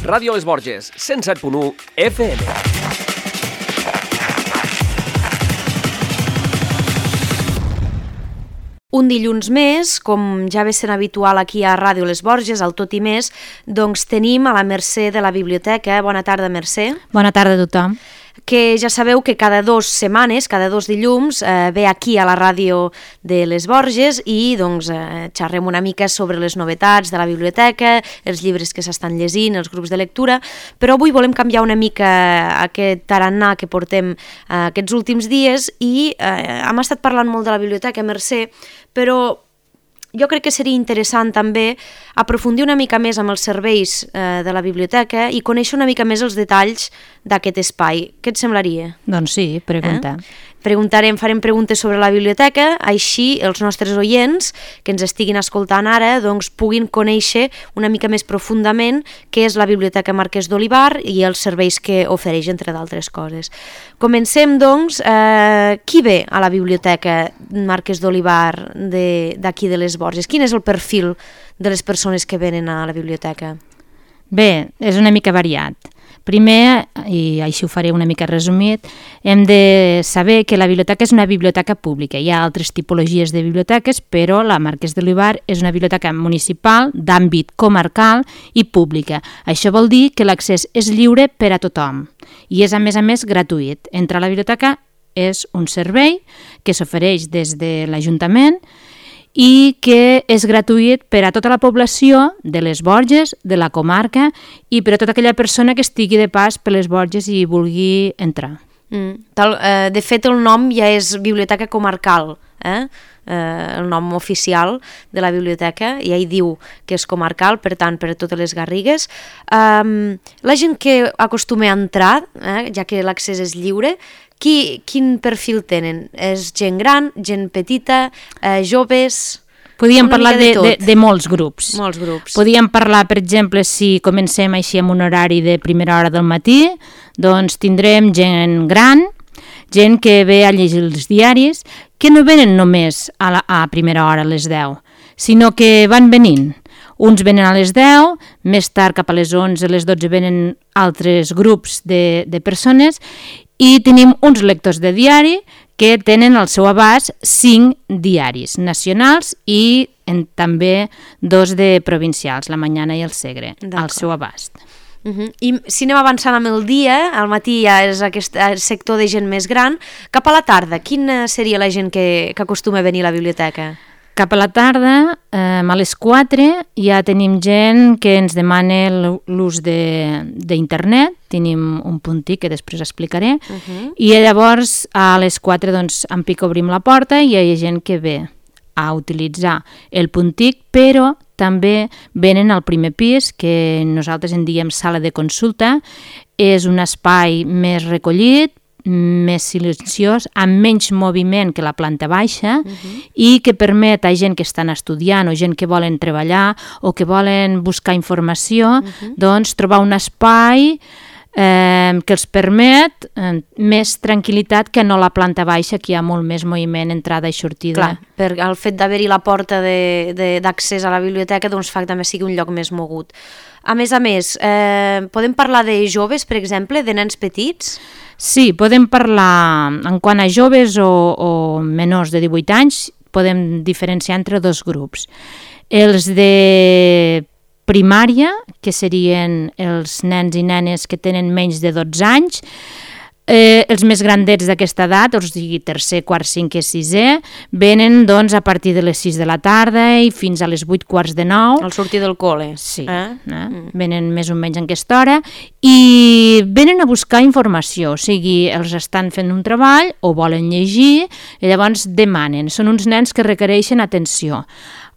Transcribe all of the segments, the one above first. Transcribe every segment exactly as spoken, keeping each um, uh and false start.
Ràdio Les Borges, cent set punt u F M. Un dilluns més, com ja ve sent habitual aquí a Ràdio Les Borges, al Tot i Més, doncs tenim a la Mercè de la Biblioteca. Bona tarda, Mercè. Bona tarda a tothom. Que ja sabeu que cada dues setmanes, cada dos dilluns, eh, ve aquí a la ràdio de Les Borges i doncs eh, xerrem una mica sobre les novetats de la biblioteca, els llibres que s'estan llegint, els grups de lectura, però avui volem canviar una mica aquest tarannà que portem eh, aquests últims dies i eh, hem estat parlant molt de la biblioteca, Mercè, però jo crec que seria interessant també aprofundir una mica més amb els serveis eh, de la biblioteca i conèixer una mica més els detalls d'aquest espai. Què et semblaria? Doncs sí, pregunta. Eh? Preguntarem, farem preguntes sobre la biblioteca, així els nostres oients que ens estiguin escoltant ara doncs, puguin conèixer una mica més profundament què és la Biblioteca Marquès d'Olivar i els serveis que ofereix, entre d'altres coses. Comencem, doncs, eh, qui ve a la Biblioteca Marquès d'Olivar d'aquí de, de Les Borges? Quin és el perfil de les persones que venen a la biblioteca? Bé, és una mica variat. Primer, i així ho faré una mica resumit, hem de saber que la biblioteca és una biblioteca pública. Hi ha altres tipologies de biblioteques, però la Marquès d'Olivar és una biblioteca municipal d'àmbit comarcal i pública. Això vol dir que l'accés és lliure per a tothom i és, a més a més, gratuït. Entrar a la biblioteca és un servei que s'ofereix des de l'Ajuntament i que és gratuït per a tota la població de Les Borges, de la comarca i per a tota aquella persona que estigui de pas per Les Borges i vulgui entrar. Mm, tal, eh, de fet, el nom ja és Biblioteca Comarcal, eh? Eh, el nom oficial de la biblioteca, ja hi diu que és comarcal, per tant, per a totes les Garrigues. Um, la gent que acostuma a entrar, eh, ja que l'accés és lliure, Qui, quin perfil tenen? És gent gran, gent petita, eh, joves? Podíem parlar de, de, de molts grups. Molts grups. Podíem parlar, per exemple, si comencem així amb un horari de primera hora del matí, doncs tindrem gent gran, gent que ve a llegir els diaris, que no venen només a, la, a primera hora a les deu, sinó que van venint. Uns venen a les deu, més tard cap a les onze, a les dotze venen altres grups de, de persones i tenim uns lectors de diari que tenen al seu abast cinc diaris nacionals i en, també dos de provincials, la Mañana i el Segre, al seu abast. Uh-huh. I si anem avançant amb el dia, al matí ja és aquest sector de gent més gran, cap a la tarda, quina seria la gent que, que acostuma a venir a la biblioteca? Cap a la tarda, eh, a les quatre, ja tenim gent que ens demana l'ús d'internet, tenim un puntí que després explicaré, uh-huh. i llavors a les quatre doncs, en pic obrim la porta i hi ha gent que ve a utilitzar el puntic, però també venen al primer pis, que nosaltres en diem sala de consulta, és un espai més recollit, més silenciós, amb menys moviment que la planta baixa uh-huh. i que permet a gent que estan estudiant o gent que volen treballar o que volen buscar informació, uh-huh. doncs trobar un espai eh, que els permet eh, més tranquil·litat que no la planta baixa, que hi ha molt més moviment, entrada i sortida. Clar, per el fet d'haver-hi la porta d'accés a la biblioteca doncs fa que també sigui un lloc més mogut. A més a més, eh, podem parlar de joves, per exemple, de nens petits? Sí, podem parlar, en quant a joves o, o menors de divuit anys, podem diferenciar entre dos grups. Els de primària, que serien els nens i nenes que tenen menys de dotze anys, eh, els més grandets d'aquesta edat, o sigui tercer, quart, cinquè, sisè, venen doncs a partir de les sis de la tarda i fins a les vuit quarts de nou. Al sortir del col·le. Sí, eh? Eh? Mm. Venen més o menys en aquesta hora i venen a buscar informació, o sigui, els estan fent un treball o volen llegir i llavors demanen. Són uns nens que requereixen atenció.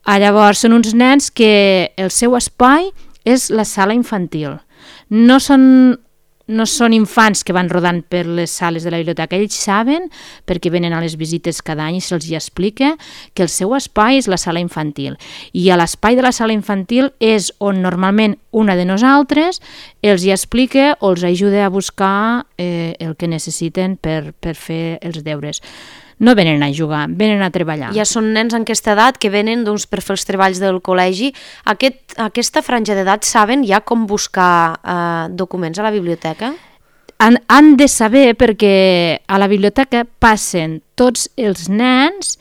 Ah, llavors, són uns nens que el seu espai és la sala infantil. No són... No són infants que van rodant per les sales de la biblioteca, ells saben, perquè venen a les visites cada any i se'ls hi explica, que el seu espai és la sala infantil. I a l'espai de la sala infantil és on normalment una de nosaltres els hi explica o els ajuda a buscar eh, el que necessiten per, per fer els deures. no venen a jugar, venen a treballar. Ja són nens en aquesta edat que venen doncs, per fer els treballs del col·legi. Aquest, aquesta franja d'edat saben ja com buscar eh, documents a la biblioteca? Han, han de saber perquè a la biblioteca passen tots els nens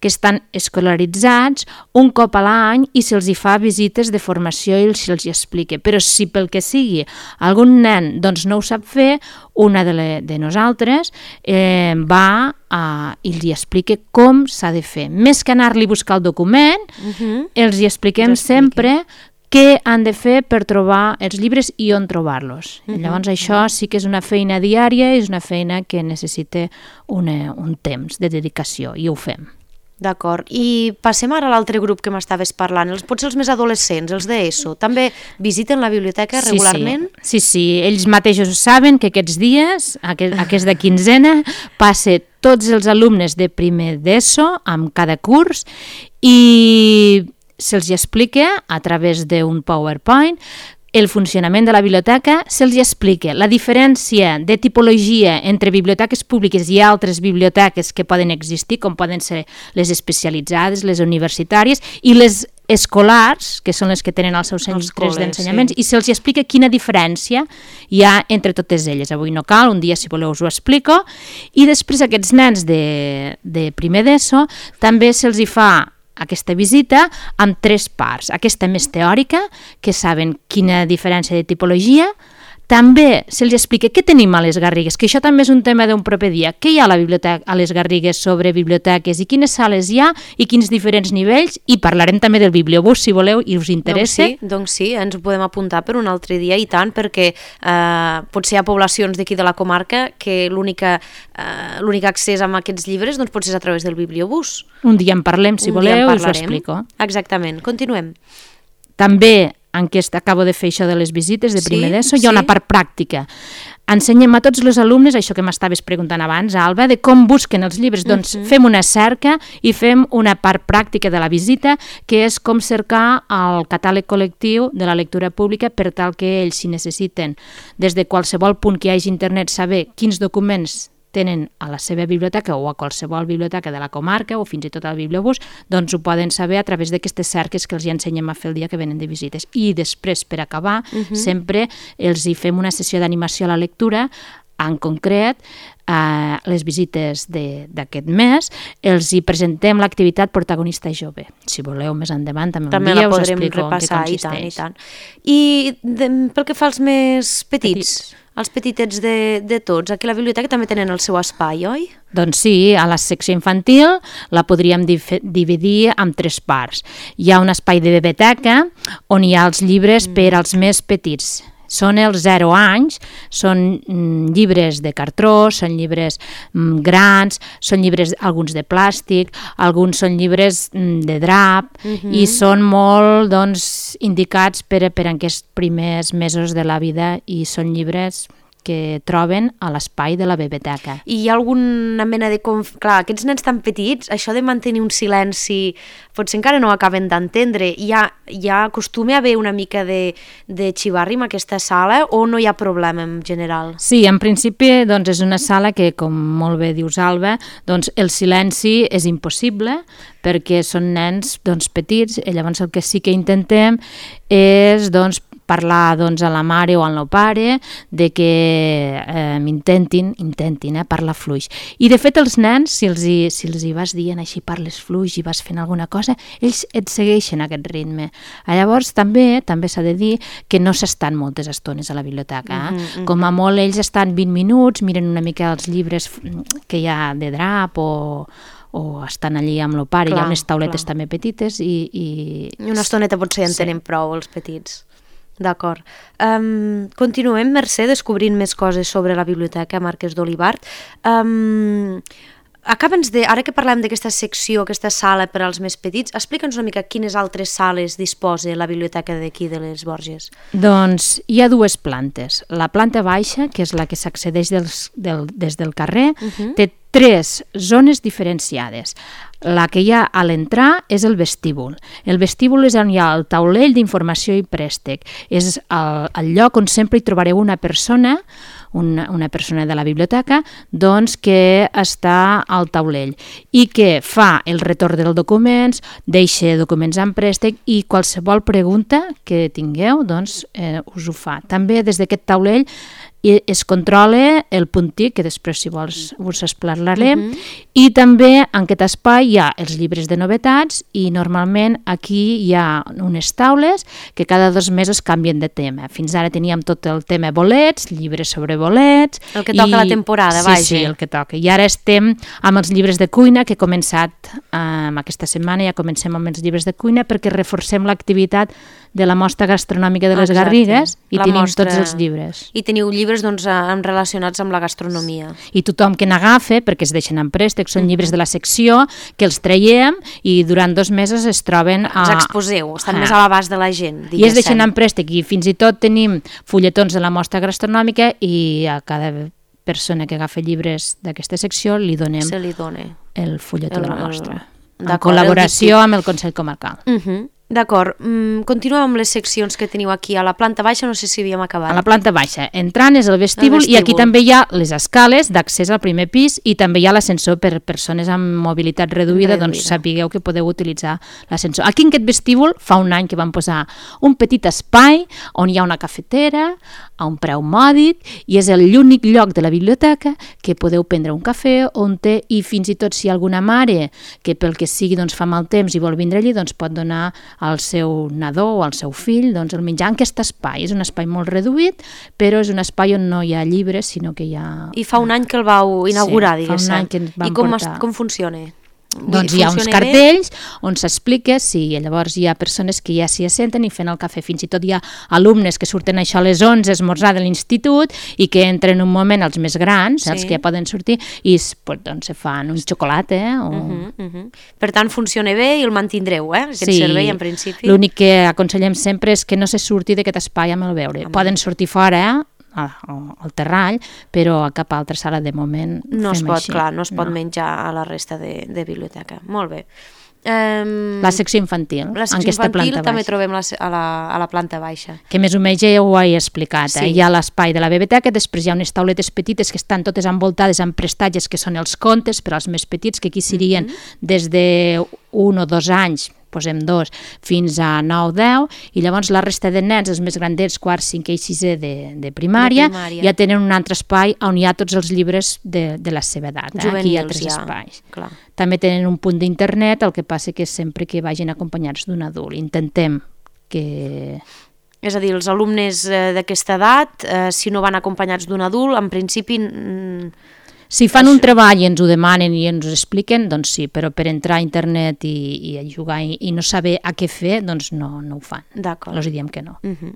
que estan escolaritzats un cop a l'any i se'ls hi fa visites de formació i se'ls hi explica. Però si pel que sigui algun nen doncs, no ho sap fer, una de, le, de nosaltres eh, va a, i els hi explica com s'ha de fer. Més que anar-li a buscar el document, uh-huh. els hi expliquem sempre què han de fer per trobar els llibres i on trobar-los. Uh-huh. Llavors això sí que és una feina diària, és una feina que necessita una, un temps de dedicació i ho fem. D'acord. I passem ara a l'altre grup que m'estaves parlant, els, potser els més adolescents, els d'ESO. També visiten la biblioteca sí, regularment? Sí, sí, sí, ells mateixos saben que aquests dies, aquest, aquesta quinzena, passa tots els alumnes de primer d'ESO amb cada curs i se'ls explica a través d'un PowerPoint el funcionament de la biblioteca, se'ls explica la diferència de tipologia entre biblioteques públiques i altres biblioteques que poden existir, com poden ser les especialitzades, les universitàries i les escolars, que són les que tenen els seus centres d'ensenyaments, sí. I se'ls explica quina diferència hi ha entre totes elles. Avui no cal, un dia si voleu us ho explico. I després aquests nens de, de primer d'ESO també se'ls hi fa aquesta visita amb tres parts. Aquesta més teòrica, que saben quina diferència de tipologia. També se'ls explica què tenim a les Garrigues, que això també és un tema d'un proper dia. Què hi ha a la biblioteca, a les Garrigues sobre biblioteques i quines sales hi ha i quins diferents nivells, i parlarem també del bibliobús si voleu i us interessa. Doncs sí, doncs sí, ens ho podem apuntar per un altre dia i tant, perquè eh, potser hi ha poblacions d'aquí de la comarca que l'única eh, l'únic accés a aquests llibres doncs potser és a través del bibliobús. Un dia en parlem, si un voleu, us ho explico. Exactament, continuem. També en què acabo de fer això de les visites de primer sí, d'ESO, hi ha sí. una part pràctica. Ensenyem a tots els alumnes, això que m'estaves preguntant abans, Alba, de com busquen els llibres. Uh-huh. Doncs fem una cerca i fem una part pràctica de la visita, que és com cercar el catàleg col·lectiu de la lectura pública per tal que ells, si necessiten, des de qualsevol punt que hi hagi internet, saber quins documents tenen a la seva biblioteca o a qualsevol biblioteca de la comarca o fins i tot al bibliobús, doncs ho poden saber a través d'aquestes cerques que els hi ensenyem a fer el dia que venen de visites. I després, per acabar, uh-huh. sempre els hi fem una sessió d'animació a la lectura, en concret, a les visites d'aquest mes, els hi presentem l'activitat protagonista jove. Si voleu, més endavant, també, també un dia us explico repassar, en què consisteix. I tant, i tant. I de, pel que fa als més petits, petits. els petitets de, de tots, aquí a la biblioteca també tenen el seu espai, oi? Doncs sí, a la secció infantil la podríem dividir en tres parts. Hi ha un espai de biblioteca on hi ha els llibres mm. per als més petits. Són els zero anys, són mm, llibres de cartró, són llibres mm, grans, són llibres alguns de plàstic, alguns són llibres mm, de drap, uh-huh. i són molt doncs, indicats per, per aquests primers mesos de la vida i són llibres que troben a l'espai de la biblioteca. I hi ha alguna mena de... Conf... Clar, aquests nens tan petits, això de mantenir un silenci, potser encara no ho acaben d'entendre. Hi ha, hi ha acostuma a haver una mica de, de xivarri en aquesta sala o no hi ha problema en general? Sí, en principi doncs, és una sala que, com molt bé dius, Alba, doncs, el silenci és impossible perquè són nens doncs, petits i llavors el que sí que intentem és doncs, parlar doncs, a la mare o al meu pare de que eh, intentin, intentin eh, parlar fluix. I de fet els nens, si els hi, si els hi vas dient així parles fluix i vas fent alguna cosa, ells et segueixen aquest ritme. Llavors també també s'ha de dir que no s'estan moltes estones a la biblioteca. Eh? Mm-hmm. Com a molt ells estan vint minuts, miren una mica els llibres que hi ha de drap o o estan allí amb el pare, clar, hi ha unes tauletes clar. també petites i, i... I una estoneta potser en tenen sí. prou els petits. D'acord. Um, continuem, Mercè, descobrint més coses sobre la biblioteca Marquès d'Olivart. Um, Acaba'ns de, ara que parlem d'aquesta secció, aquesta sala per als més petits, explica'ns una mica quines altres sales disposa la biblioteca d'aquí de les Borges. Doncs hi ha dues plantes. La planta baixa, que és la que s'accedeix dels, del, des del carrer, uh-huh. té tres zones diferenciades. La que hi ha a l'entrar és el vestíbul. El vestíbul és on hi ha el taulell d'informació i préstec. És el, el lloc on sempre hi trobareu una persona, una, una persona de la biblioteca, doncs que està al taulell i que fa el retorn dels documents, deixa documents en préstec i qualsevol pregunta que tingueu, doncs eh, us ho fa. També des d'aquest taulell i es controla el puntí, que després, si vols, us explicarem, uh-huh. i també en aquest espai hi ha els llibres de novetats i normalment aquí hi ha unes taules que cada dos mesos canvien de tema. Fins ara teníem tot el tema bolets, llibres sobre bolets... El que toca i... la temporada, sí, vaja. Sí, el que toca. I ara estem amb els llibres de cuina, que he començat eh, aquesta setmana, ja comencem amb els llibres de cuina perquè reforcem l'activitat de la mostra gastronòmica de les Exacte. Garrigues i la tenim mostra... tots els llibres. I teniu llibres doncs, relacionats amb la gastronomia. I tothom que n'agafa, perquè es deixen en préstec, són llibres de la secció, que els traiem i durant dos mesos es troben... A... Els exposeu, estan ah. més a l'abast de la gent. I es deixen en préstec i fins i tot tenim fulletons de la mostra gastronòmica i a cada persona que agafa llibres d'aquesta secció li donem Se li dona. el fulletó el, de la mostra. El... En col·laboració amb el Consell Comarcal. Uh -huh. D'acord, mm, continuem amb les seccions que teniu aquí a la planta baixa, no sé si havíem acabat. A la planta baixa, entrant és el vestíbul, el vestíbul. I aquí també hi ha les escales d'accés al primer pis i també hi ha l'ascensor per persones amb mobilitat reduïda, reduïda. Doncs sapigueu que podeu utilitzar l'ascensor. Aquí en aquest vestíbul fa un any que vam posar un petit espai on hi ha una cafetera a un preu mòdic i és l'únic lloc de la biblioteca que podeu prendre un cafè o un té i fins i tot si hi ha alguna mare que pel que sigui doncs, fa mal temps i vol vindre allí, doncs pot donar al seu nadó o al seu fill doncs, el menjar en aquest espai. És un espai molt reduït, però és un espai on no hi ha llibres, sinó que hi ha... I fa un any que el vau inaugurar, sí, diguéssim. Fa un any que ens vam I com, portar... com funciona? Doncs hi ha uns cartells on s'explica, sí, llavors hi ha persones que ja s'hi assenten i fent el cafè, fins i tot hi ha alumnes que surten això a les onze a esmorzar de l'institut i que entren un moment els més grans, sí. els que ja poden sortir, i pues, doncs, se fan un xocolata. Eh, o... uh -huh, uh -huh. Per tant, funciona bé i el mantindreu, eh, aquest sí. servei, en principi. L'únic que aconsellem sempre és que no se surti d'aquest espai amb el beure. Amb Poden sortir fora, eh? al terrall, però a cap altra sala de moment no es pot, així. clar, no es pot no. menjar a la resta de, de biblioteca. Molt bé. Um, la secció infantil, la secció en aquesta infantil planta també baixa. trobem la, a, la, a la planta baixa. Que més o menys ja ho he explicat. Sí. Eh? Hi ha l'espai de la biblioteca, després hi ha unes tauletes petites que estan totes envoltades amb prestatges que són els contes per als més petits, que aquí serien mm-hmm. des de un o dos anys, posem dos, fins a nou deu, i llavors la resta de nens, els més grandets, quart, cinquè i sisè de, de, primària, de primària, ja tenen un altre espai on hi ha tots els llibres de, de la seva edat. Eh? Juvenils, aquí hi ha tres ja. espais. Clar. També tenen un punt d'internet, el que passa que sempre que vagin acompanyats d'un adult. Intentem que... És a dir, els alumnes eh, d'aquesta edat, eh, si no van acompanyats d'un adult, en principi... Mm, Si fan un treball i ens ho demanen i ens ho expliquen, doncs sí, però per entrar a internet i, i a jugar i, i no saber a què fer, doncs no, no ho fan. D'acord. Els diem que no. Uh -huh.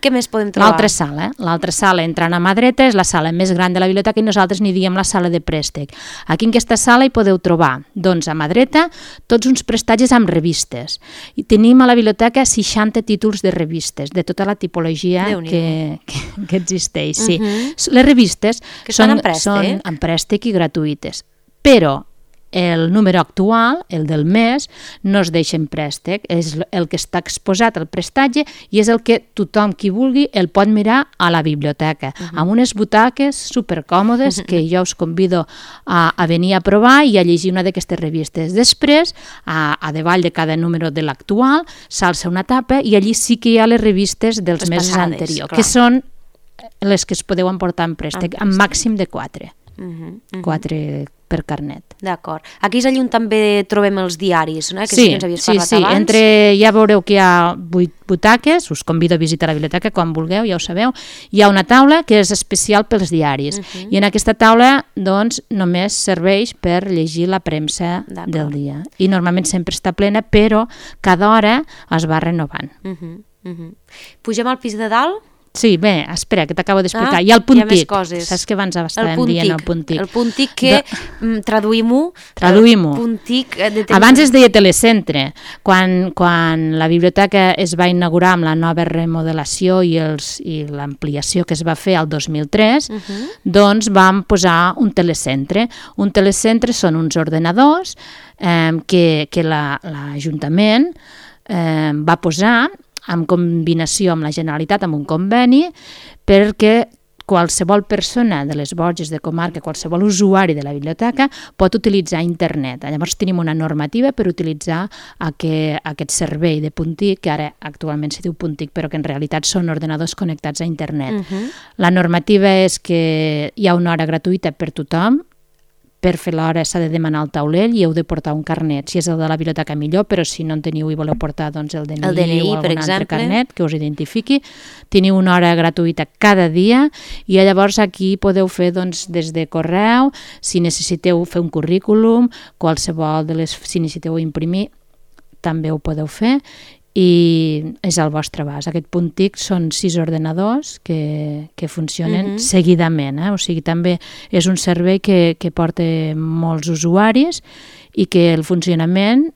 Què més podem trobar? L'altra sala, eh? L'altra sala, entrant a mà dreta, és la sala més gran de la biblioteca i nosaltres n'hi diem la sala de préstec. Aquí en aquesta sala hi podeu trobar, doncs a mà dreta, tots uns prestatges amb revistes. I tenim a la biblioteca seixanta títols de revistes, de tota la tipologia que, que, que existeix. Sí. Uh -huh. Les revistes que són, en préstec. són en préstec i gratuïtes, però el número actual, el del mes, no es deixa en préstec, és el que està exposat al prestatge i és el que tothom qui vulgui el pot mirar a la biblioteca, uh-huh. amb unes butaques supercòmodes uh-huh. que jo us convido a, a venir a provar i a llegir una d'aquestes revistes. Després, a, a davall de cada número de l'actual, s'alça una tapa i allí sí que hi ha les revistes dels les mesos passades, anteriors, clar. Que són les que es podeu emportar en préstec, en màxim de quatre. Uh -huh, uh -huh. quatre per carnet. D'acord. Aquí és allà on també trobem els diaris, no? Que sí, sí que ens havies parlat sí, sí. abans. Entre, ja veureu que hi ha vuit butaques, us convido a visitar la biblioteca quan vulgueu, ja ho sabeu. Hi ha una taula que és especial pels diaris uh -huh. i en aquesta taula doncs només serveix per llegir la premsa del dia. I normalment sempre està plena, però cada hora es va renovant. Uh -huh, uh -huh. Pugem al pis de dalt? Sí, bé, espera, que t'acabo d'explicar. Ah, hi ha el punt hi ha més TIC. coses. Saps que abans El estàvem punt dient TIC. el punt TIC? El punt TIC que, De... traduïm-ho, Traduïm-ho. el punt TIC de... Abans es deia telecentre. Quan, quan la biblioteca es va inaugurar amb la nova remodelació i, els, i l'ampliació que es va fer el dos mil tres, uh -huh. doncs vam posar un telecentre. Un telecentre són uns ordenadors eh, que, que l'Ajuntament eh, va posar en combinació amb la Generalitat, amb un conveni, perquè qualsevol persona de les Borges de comarca, qualsevol usuari de la biblioteca pot utilitzar internet. Llavors tenim una normativa per utilitzar aquest, aquest servei de punt TIC, que ara actualment se diu punt TIC, però que en realitat són ordenadors connectats a internet. Uh-huh. La normativa és que hi ha una hora gratuïta per tothom. Per fer l'hora s'ha de demanar el taulell i heu de portar un carnet. Si és el de la biblioteca millor, però si no en teniu i voleu portar doncs, el D N I, el D N I o algun altre exemple. carnet que us identifiqui. Teniu una hora gratuïta cada dia i llavors aquí podeu fer doncs, des de correu, si necessiteu fer un currículum, qualsevol de les, si necessiteu imprimir, també ho podeu fer. I és al vostre abast. Aquest punt TIC són sis ordenadors que, que funcionen uh-huh. seguidament, eh? O sigui, també és un servei que, que porta molts usuaris i que el funcionament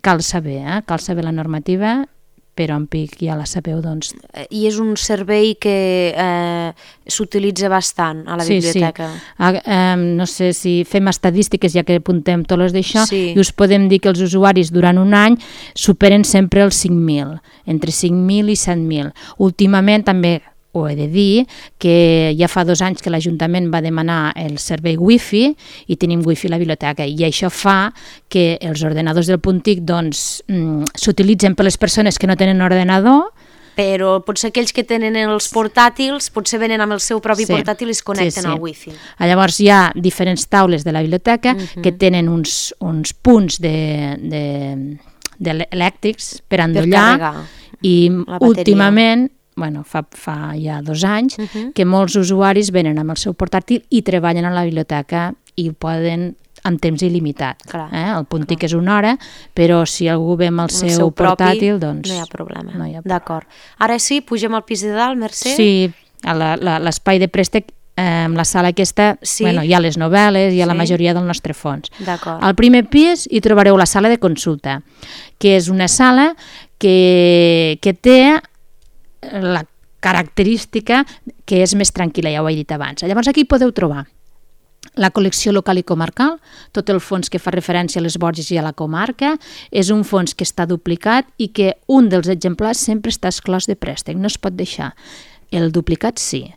cal saber, eh? Cal saber la normativa, però en P I C ja la sabeu, doncs... I és un servei que eh, s'utilitza bastant a la sí, biblioteca. Sí, ah, eh, no sé si fem estadístiques, ja que apuntem tots les d'això, sí. I us podem dir que els usuaris durant un any superen sempre els cinc mil, entre cinc mil i set mil. Últimament també... ho he de dir, que ja fa dos anys que l'Ajuntament va demanar el servei Wi-Fi i tenim Wi-Fi a la biblioteca i això fa que els ordenadors del punt TIC doncs, mm, s'utilitzen per les persones que no tenen ordenador, però potser aquells que tenen els portàtils potser venen amb el seu propi sí, portàtil i es connecten sí, sí. al Wi-Fi. Llavors hi ha diferents taules de la biblioteca uh-huh. que tenen uns, uns punts de, de, de elèctrics per endollar per i últimament bueno, fa, fa ja dos anys, uh-huh. que molts usuaris venen amb el seu portàtil i treballen a la biblioteca i poden en temps il·limitat. Eh? El punt TIC és una hora, però si algú ve amb el, seu, el seu propi, portàtil, doncs... No hi ha problema. No hi ha problema. D'acord. Ara sí, pugem al pis de dalt, Mercè? Sí, a la, la, l'espai de préstec, eh, la sala aquesta, sí. bueno, hi ha les novel·les, hi ha sí. la majoria del nostre fons. D'acord. Al primer pis hi trobareu la sala de consulta, que és una sala que, que té la característica que és més tranquil·la, ja ho he dit abans. Llavors aquí podeu trobar la col·lecció local i comarcal, tot el fons que fa referència a les Borges i a la comarca, és un fons que està duplicat i que un dels exemplars sempre està exclòs de préstec, no es pot deixar. El duplicat sí.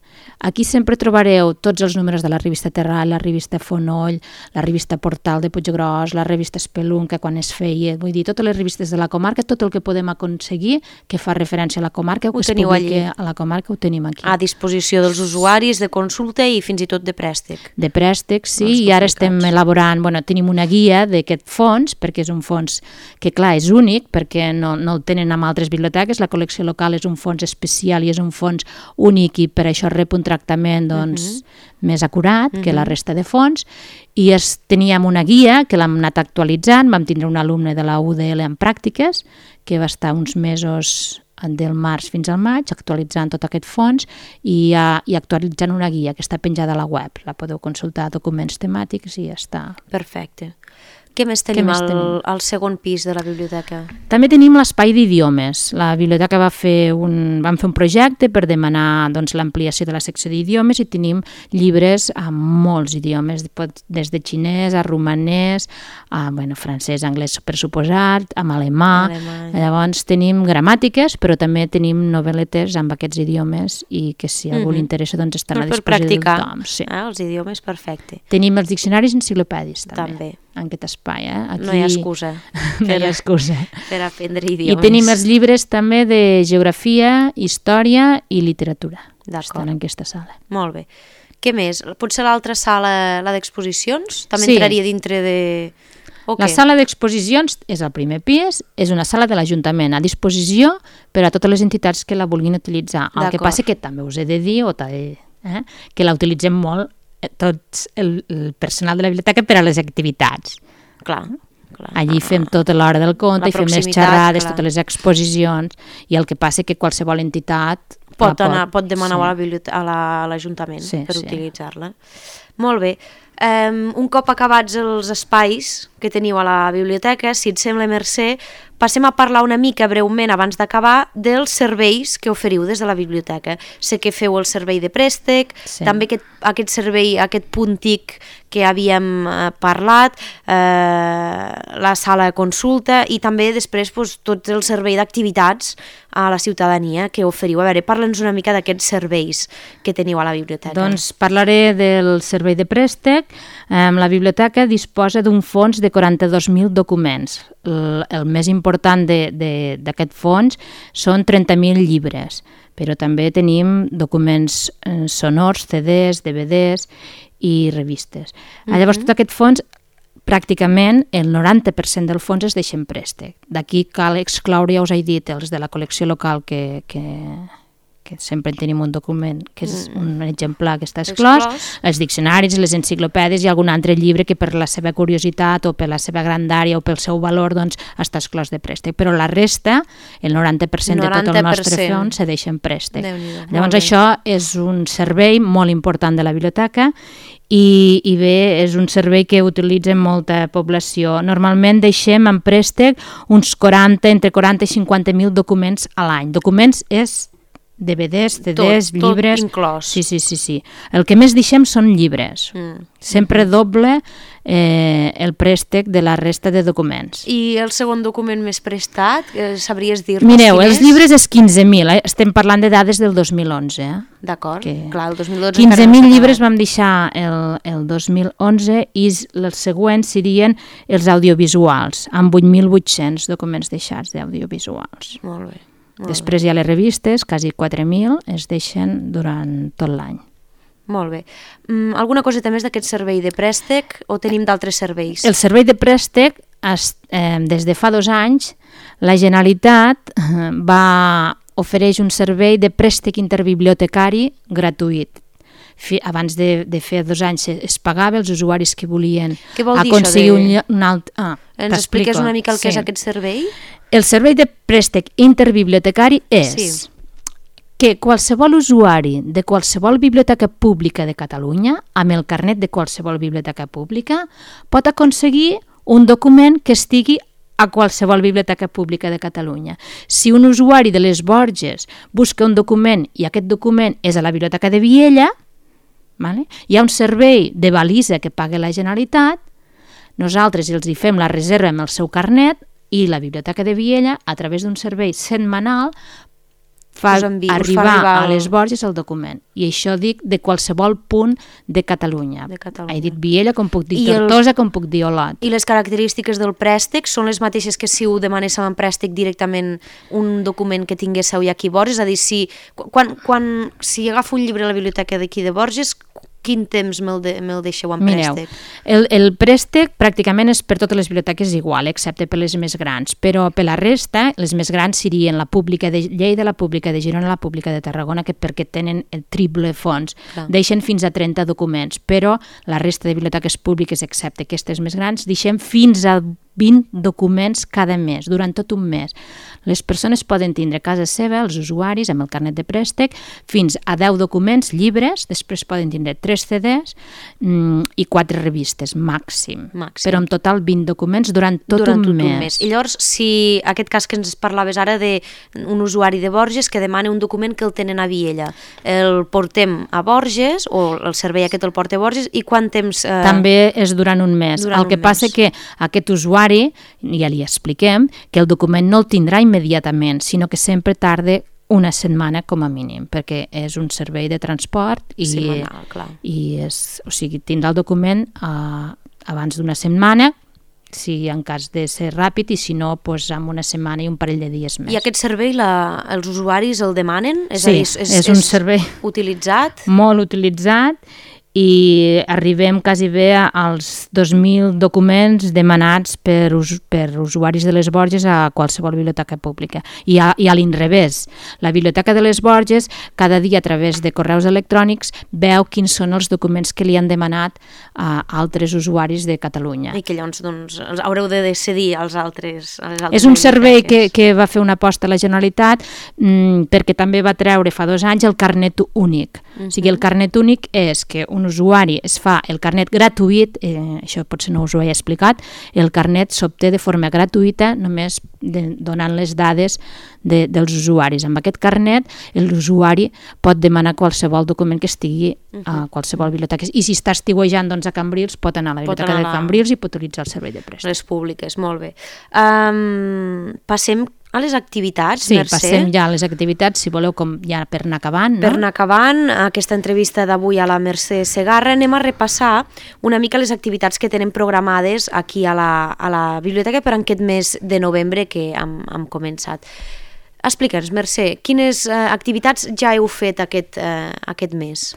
Aquí sempre trobareu tots els números de la revista Terral, la revista Fonoll, la revista Portal de Puiggròs, la revista Espelunca quan es feia, vull dir, totes les revistes de la comarca, tot el que podem aconseguir que fa referència a la comarca, que es publiqui a la comarca, ho tenim aquí. A disposició dels usuaris de consulta i fins i tot de préstec. De préstec, sí, i ara estem elaborant, bueno, tenim una guia d'aquest fons, perquè és un fons que, clar, és únic, perquè no, no el tenen amb altres biblioteques, la col·lecció local és un fons especial i és un fons únic i per això rep un tractament doncs, uh-huh. més acurat uh-huh. que la resta de fons i es, teníem una guia que l'hem anat actualitzant, vam tindre un alumne de la U D L en pràctiques que va estar uns mesos del març fins al maig actualitzant tot aquest fons i, uh, i actualitzant una guia que està penjada a la web, la podeu consultar, documents temàtics i ja està. Perfecte. Què més tenim, Què més al, tenim al segon pis de la biblioteca? També tenim l'espai d'idiomes. La biblioteca va fer un, vam fer un projecte per demanar doncs, l'ampliació de la secció d'idiomes i tenim llibres amb molts idiomes, des de xinès a romanès, a bueno, francès, anglès per suposat, amb alemà. Alemany. Llavors tenim gramàtiques, però també tenim novel·letes amb aquests idiomes i que si a algú mm-hmm. li interessa doncs estan a disposició de tothom. Sí. Ah, els idiomes, perfecte. Tenim els diccionaris enciclopèdis també. També. En aquest espai. Eh? Aquí... No hi ha excusa. no hi ha excusa. Per aprendre idiomes. I tenim els llibres també de geografia, història i literatura. Estan en aquesta sala. Molt bé. Què més? Potser l'altra sala, la d'exposicions? També sí. entraria dintre de... Okay. La sala d'exposicions és al primer pis, és una sala de l'Ajuntament a disposició per a totes les entitats que la vulguin utilitzar. El que passa que també us he de dir, o de, eh, que la utilitzem molt tot el, el personal de la biblioteca per a les activitats. Clar, clar. Allí fem tota l'hora del conte i fem les xerrades, clar. Totes les exposicions, i el que passa que qualsevol entitat pot, anar, pot demanar sí. a l'Ajuntament la, sí, per sí. utilitzar-la. Molt bé. Um, un cop acabats els espais que teniu a la biblioteca, si et sembla, Mercè, passem a parlar una mica breument abans d'acabar dels serveis que oferiu des de la biblioteca. Sé que feu el servei de préstec, sí. també aquest, aquest servei, aquest punt T I C que havíem eh, parlat, eh, la sala de consulta i també després doncs, tot el servei d'activitats a la ciutadania que oferiu. A veure, parla'ns una mica d'aquests serveis que teniu a la biblioteca. Doncs parlaré del servei de préstec. Eh, la biblioteca disposa d'un fons de quaranta-dos mil documents. El, el més important d'aquest fons són trenta mil llibres, però també tenim documents eh, sonors, C Ds, D V Ds i revistes. Mm-hmm. Llavors, tot aquest fons, pràcticament el noranta per cent del fons es deixa en préstec. D'aquí cal excloure, ja us he dit, els de la col·lecció local que, que, que sempre tenim un document que és un exemplar que està exclòs, exclòs, els diccionaris, les enciclopèdies i algun altre llibre que per la seva curiositat o per la seva grandària o pel seu valor doncs, està exclòs de préstec. Però la resta, el noranta per cent de tot el nostre fons se deixa en préstec. Llavors això és un servei molt important de la biblioteca I, i bé, és un servei que utilitzen molta població. Normalment deixem en préstec uns quaranta, entre quaranta i cinquanta mil documents a l'any. Documents és D V Ds, C Ds, tot, llibres... Tot inclòs. Sí, sí, sí, sí. El que més deixem són llibres. Mm. Sempre doble eh, el préstec de la resta de documents. I el segon document més prestat, eh, sabries dir-nos? Mireu, els llibres és quinze mil, eh? Estem parlant de dades del dos mil onze. Eh? D'acord, clar, el dos mil dotze... quinze mil llibres vam deixar el, el dos mil onze i els següents serien els audiovisuals, amb vuit mil vuit-cents documents deixats d'audiovisuals. Molt bé. Després hi ha les revistes, quasi quatre mil, es deixen durant tot l'any. Molt bé. Mm, alguna coseta més d'aquest servei de préstec o tenim d'altres serveis? El servei de préstec, es, eh, des de fa dos anys, la Generalitat eh, va ofereix un servei de préstec interbibliotecari gratuït. Fi, abans de, de fer dos anys es pagava els usuaris que volien aconseguir de... un, un alt... Ah, Ens expliques una mica el sí. que és aquest servei? El servei de préstec interbibliotecari és sí. que qualsevol usuari de qualsevol biblioteca pública de Catalunya, amb el carnet de qualsevol biblioteca pública, pot aconseguir un document que estigui a qualsevol biblioteca pública de Catalunya. Si un usuari de les Borges busca un document i aquest document és a la biblioteca de Viella, vale? Hi ha un servei de balisa que paga la Generalitat, nosaltres els hi fem la reserva amb el seu carnet i la Biblioteca de Viella, a través d'un servei setmanal, fa envia, arribar, fa arribar a les Borges el document. I això dic de qualsevol punt de Catalunya. De Catalunya. He dit Viella, com puc dir I Tortosa, el... com puc dir Olot. I les característiques del préstec són les mateixes que si ho demanéssiu en préstec directament un document que tinguéssiu ja aquí a Borges? És a dir, si, quan, quan, si agafo un llibre a la biblioteca d'aquí de Borges, quin temps me'l de, me deixeu en préstec? Mireu, el, el préstec pràcticament és per totes les biblioteques igual, excepte per les més grans, però per la resta, les més grans serien la pública de Lleida, la pública de Girona, la pública de Tarragona, que perquè tenen el triple fons. Clar. Deixen fins a trenta documents, però la resta de biblioteques públiques, excepte aquestes més grans, deixem fins a vint documents cada mes, durant tot un mes. Les persones poden tindre a casa seva, els usuaris, amb el carnet de préstec, fins a deu documents, llibres, després poden tindre tres C Ds mm, i quatre revistes, màxim. màxim. Però en total vint documents durant tot, durant un, tot mes. un mes. I llavors, si aquest cas que ens parlaves ara d'un usuari de Borges que demana un document que el tenen a Viella, el portem a Borges, o el servei aquest el porta a Borges, i quant temps... Eh... També és durant un mes. Durant el que passa és que aquest usuari, ja li expliquem, que el document no el tindrà immediatament, sinó que sempre tarda una setmana com a mínim, perquè és un servei de transport i, Setmanal, clar. i és, o sigui, tindrà el document uh, abans d'una setmana, si en cas de ser ràpid, i si no, doncs, amb una setmana i un parell de dies més. I aquest servei la, els usuaris el demanen? És sí, a dir, és, és un és servei utilitzat? Molt utilitzat, i arribem quasi bé als dos mil documents demanats per, us, per usuaris de les Borges a qualsevol biblioteca pública. I a, i a l'inrevés, la Biblioteca de les Borges cada dia a través de correus electrònics veu quins són els documents que li han demanat a altres usuaris de Catalunya. I que llavors doncs, haureu de decidir als altres, a les altres És un servei que, que va fer una aposta a la Generalitat mmm, perquè també va treure fa dos anys el carnet únic. Uh-huh. O sigui, el carnet únic és que un usuari es fa el carnet gratuït, eh, això potser no us ho he explicat, el carnet s'obté de forma gratuïta només de, donant les dades de, dels usuaris. Amb aquest carnet l'usuari pot demanar qualsevol document que estigui uh-huh. a qualsevol biblioteca. I si està estiuejant doncs, a Cambrils, pot anar a la biblioteca de Cambrils i pot utilitzar el servei de préstec. Les públiques, molt bé. Um, passem a les activitats, sí, Mercè. Sí, passem ja a les activitats, si voleu, com ja per anar acabant. No? Per anar acabant, aquesta entrevista d'avui a la Mercè Segarra, anem a repassar una mica les activitats que tenen programades aquí a la, a la biblioteca per aquest mes de novembre que hem, hem començat. Explica'ns, Mercè, quines eh, activitats ja heu fet aquest, eh, aquest mes?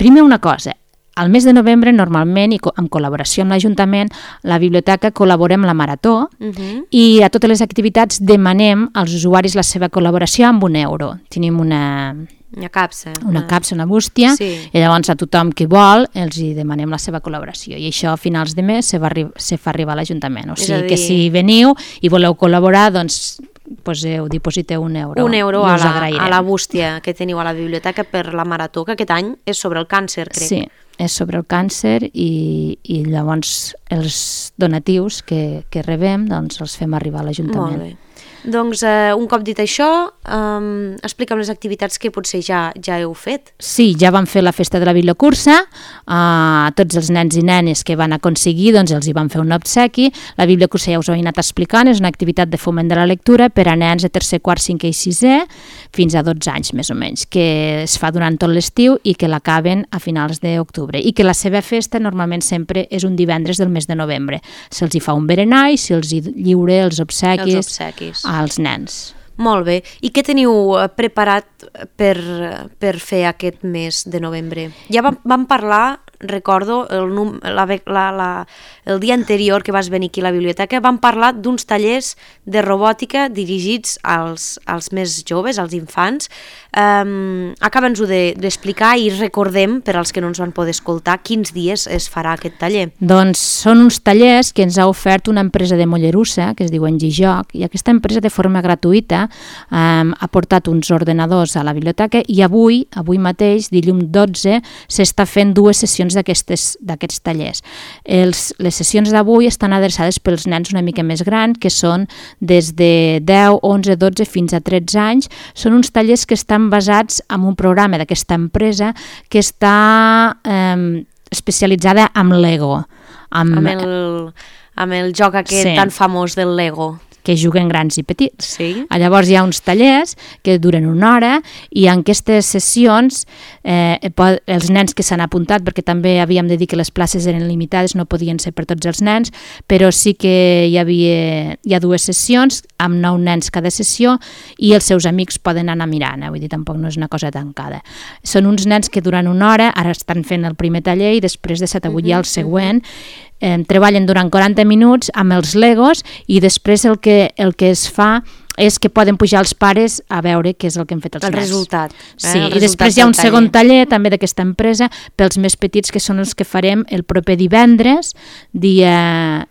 Primer una cosa, al mes de novembre, normalment, i en col·laboració amb l'Ajuntament, la biblioteca col·labora amb la Marató uh-huh. i a totes les activitats demanem als usuaris la seva col·laboració amb un euro. Tenim una... Una capsa. Una capsa, una bústia, sí. I llavors a tothom que vol els hi demanem la seva col·laboració. I això a finals de mes se, va arri- se fa arribar a l'Ajuntament. O sigui dir... que si veniu i voleu col·laborar, doncs poseu, dipositeu un euro. Un euro a la, a la bústia que teniu a la biblioteca per la Marató, que aquest any és sobre el càncer, crec. Sí, és sobre el càncer i, i llavors els donatius que, que rebem doncs els fem arribar a l'Ajuntament. Molt bé. Doncs eh, un cop dit això, um, explica'm les activitats que potser ja, ja heu fet. Sí, ja vam fer la festa de la bibliocursa, a uh, tots els nens i nenes que van aconseguir, doncs els hi van fer un obsequi. La bibliocursa ja us ho he anat explicant, és una activitat de foment de la lectura per a nens de tercer, quart, cinquè i sisè, fins a dotze anys més o menys, que es fa durant tot l'estiu i que l'acaben a finals d'octubre. I que la seva festa normalment sempre és un divendres del mes de novembre. Se'ls hi fa un berenar i se'ls hi lliure els obsequis, els obsequis. als nens. Molt bé. I què teniu preparat per, per fer aquest mes de novembre? Ja vam, vam parlar, recordo, el, la, la, la, el dia anterior que vas venir aquí a la biblioteca, vam parlar d'uns tallers de robòtica dirigits als, als més joves, als infants. Um, Acaba'ns-ho d'explicar i recordem, per als que no ens van poder escoltar, quins dies es farà aquest taller. Doncs són uns tallers que ens ha ofert una empresa de Mollerussa, que es diu Engijoc, i aquesta empresa de forma gratuïta um, ha portat uns ordenadors a la biblioteca i avui, avui mateix, dilluns dotze, s'està fent dues sessions d'aquests tallers. Els, les sessions d'avui estan adreçades pels nens una mica més grans, que són des de deu, onze, dotze fins a tretze anys. Són uns tallers que estan basats en un programa d'aquesta empresa que està eh, especialitzada en Lego. Amb, amb, el, amb el joc aquest sí. tan famós del Lego. Que juguen grans i petits. Sí. Llavors hi ha uns tallers que duren una hora i en aquestes sessions eh, els nens que s'han apuntat, perquè també havíem de dir que les places eren limitades, no podien ser per tots els nens, però sí que hi havia hi ha dues sessions amb nou nens cada sessió i els seus amics poden anar mirant, eh? Vull dir, tampoc no és una cosa tancada. Són uns nens que duran una hora, ara estan fent el primer taller i després de set a vuit hi ha el següent. Eh, treballen durant quaranta minuts amb els Legos i després el que, el que es fa és que poden pujar els pares a veure què és el que han fet els el nens. Resultat, eh? Sí, el i després hi ha un taller. segon taller també d'aquesta empresa pels més petits, que són els que farem el proper divendres, dia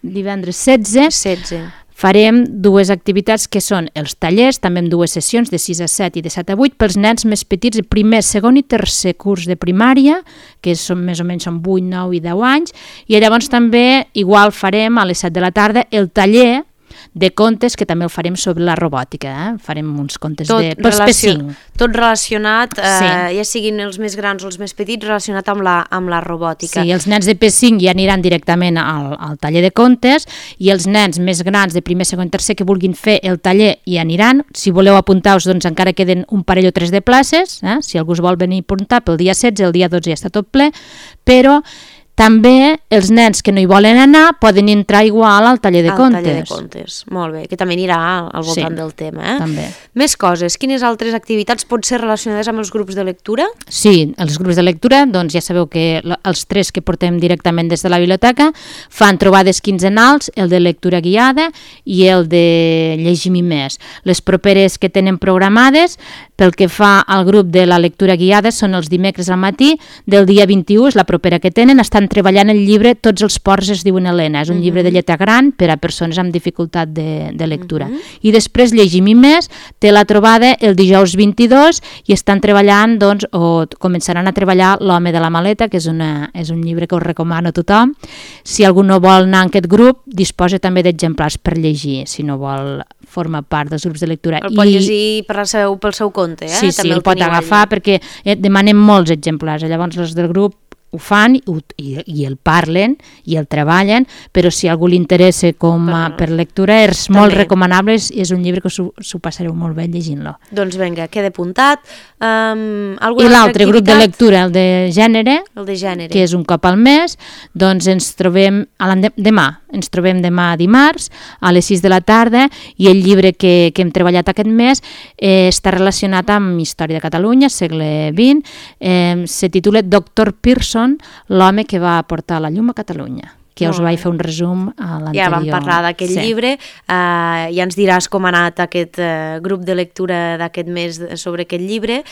divendres setze. setze. Farem dues activitats que són els tallers, també amb dues sessions de sis a set i de set a vuit pels nens més petits, de primer, segon i tercer curs de primària, que són més o menys són vuit, nou i deu anys, i llavors també igual farem a les set de la tarda el taller de contes, que també el farem sobre la robòtica, eh? Farem uns contes tot de... pels P cinc. Tot relacionat, eh, sí. ja siguin els més grans o els més petits, relacionat amb la, amb la robòtica. Sí, els nens de P cinc ja aniran directament al, al taller de contes i els nens més grans de primer, segon i tercer que vulguin fer el taller hi aniran. Si voleu apuntar-vos, doncs encara queden un parell o tres de places, eh? Si algú es vol venir a apuntar pel dia setze, el dia dotze ja està tot ple, però També els nens que no hi volen anar poden entrar igual al taller de al contes. Al taller de contes, molt bé, que també anirà al voltant Sí, del tema. Eh? també. Més coses, quines altres activitats pot ser relacionades amb els grups de lectura? Sí, els grups de lectura, doncs ja sabeu que l- els tres que portem directament des de la biblioteca fan trobades quinzenals, el de lectura guiada i el de llegim i més. Les properes que tenen programades, pel que fa al grup de la lectura guiada, són els dimecres al matí del dia vint-i-u, és la propera que tenen, estan treballant el llibre Tots els ports es diuen Helena, és un Mhm. llibre de lletra gran per a persones amb dificultat de, de lectura. I després llegim i més, té la trobada el dijous vint-i-dos i estan treballant, doncs, o t- començaran a treballar L'home de la maleta, que és, una, és un llibre que us recomano a tothom. Si algú no vol anar en aquest grup, disposa també d'exemplars per llegir, si no vol formar part dels grups de lectura. El pot llegir per la seu, pel seu compte, eh? Sí, sí, També el pot teniu agafar allí. perquè eh, demanem molts exemplars. Llavors els del grup ho fan i, ho- i, i el parlen i el treballen, però si a algú li interessa com a, Per- per lectura és molt també. recomanable, és, és un llibre que s'ho s'ho passareu molt bé llegint-lo. Doncs vinga, queda apuntat. Um, I l'altre grup de lectura, el de gènere, El de gènere. que és un cop al mes, doncs ens trobem a l'ende- demà, ens trobem demà dimarts a les sis de la tarda i el llibre que, que hem treballat aquest mes eh, està relacionat amb història de Catalunya, segle vint, eh, se titula Doctor Pearson, l'home que va portar la llum a Catalunya, que us Molt vaig bé. fer un resum a l'anterior. Ja vam parlar d'aquest Sí. llibre, uh, ja ens diràs com ha anat aquest uh, grup de lectura d'aquest mes sobre aquest llibre.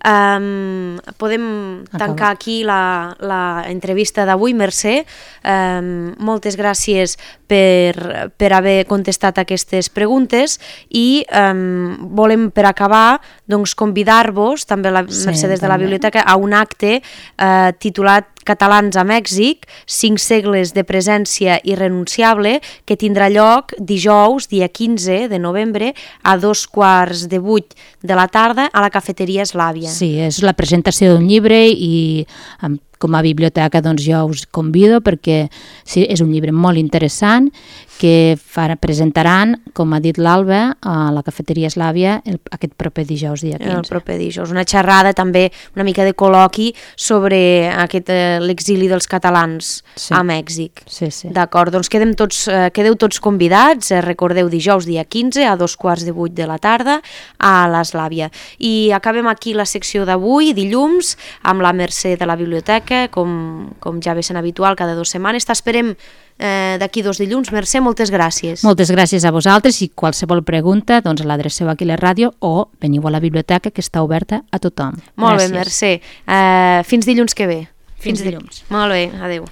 Um, podem Acaba. tancar aquí la, la entrevista d'avui, Mercè. Um, moltes gràcies per, per haver contestat aquestes preguntes i um, volem, per acabar, doncs, convidar-vos, també la Sí, Mercè des de la també. biblioteca, a un acte uh, titulat Catalans a Mèxic, cinc segles de presència irrenunciable, que tindrà lloc dijous, dia quinze de novembre, a dos quarts de vuit de la tarda a la cafeteria Eslàvia. Sí, és la presentació d'un llibre i amb, com a biblioteca doncs jo us convido perquè sí, és un llibre molt interessant que farà, presentaran, com ha dit l'Alba, a la cafeteria Eslàvia el, aquest proper dijous dia quinze. El proper dijous. Una xerrada també, una mica de col·loqui sobre aquest, eh, l'exili dels catalans Sí. a Mèxic. Sí, sí. D'acord, doncs quedem tots, eh, quedeu tots convidats, eh, recordeu dijous dia quinze a dos quarts de vuit de la tarda a l'Eslàvia. I acabem aquí la secció d'avui, dilluns, amb la Mercè de la biblioteca, com, com ja ve sent habitual cada dues setmanes. T'esperem eh, d'aquí dos dilluns. Mercè, moltes gràcies. Moltes gràcies a vosaltres i qualsevol pregunta doncs l'adreceu aquí a la ràdio o veniu a la biblioteca que està oberta a tothom. Molt Gràcies. bé, Mercè. Eh, fins dilluns que ve. Fins dilluns. Molt bé, adeu.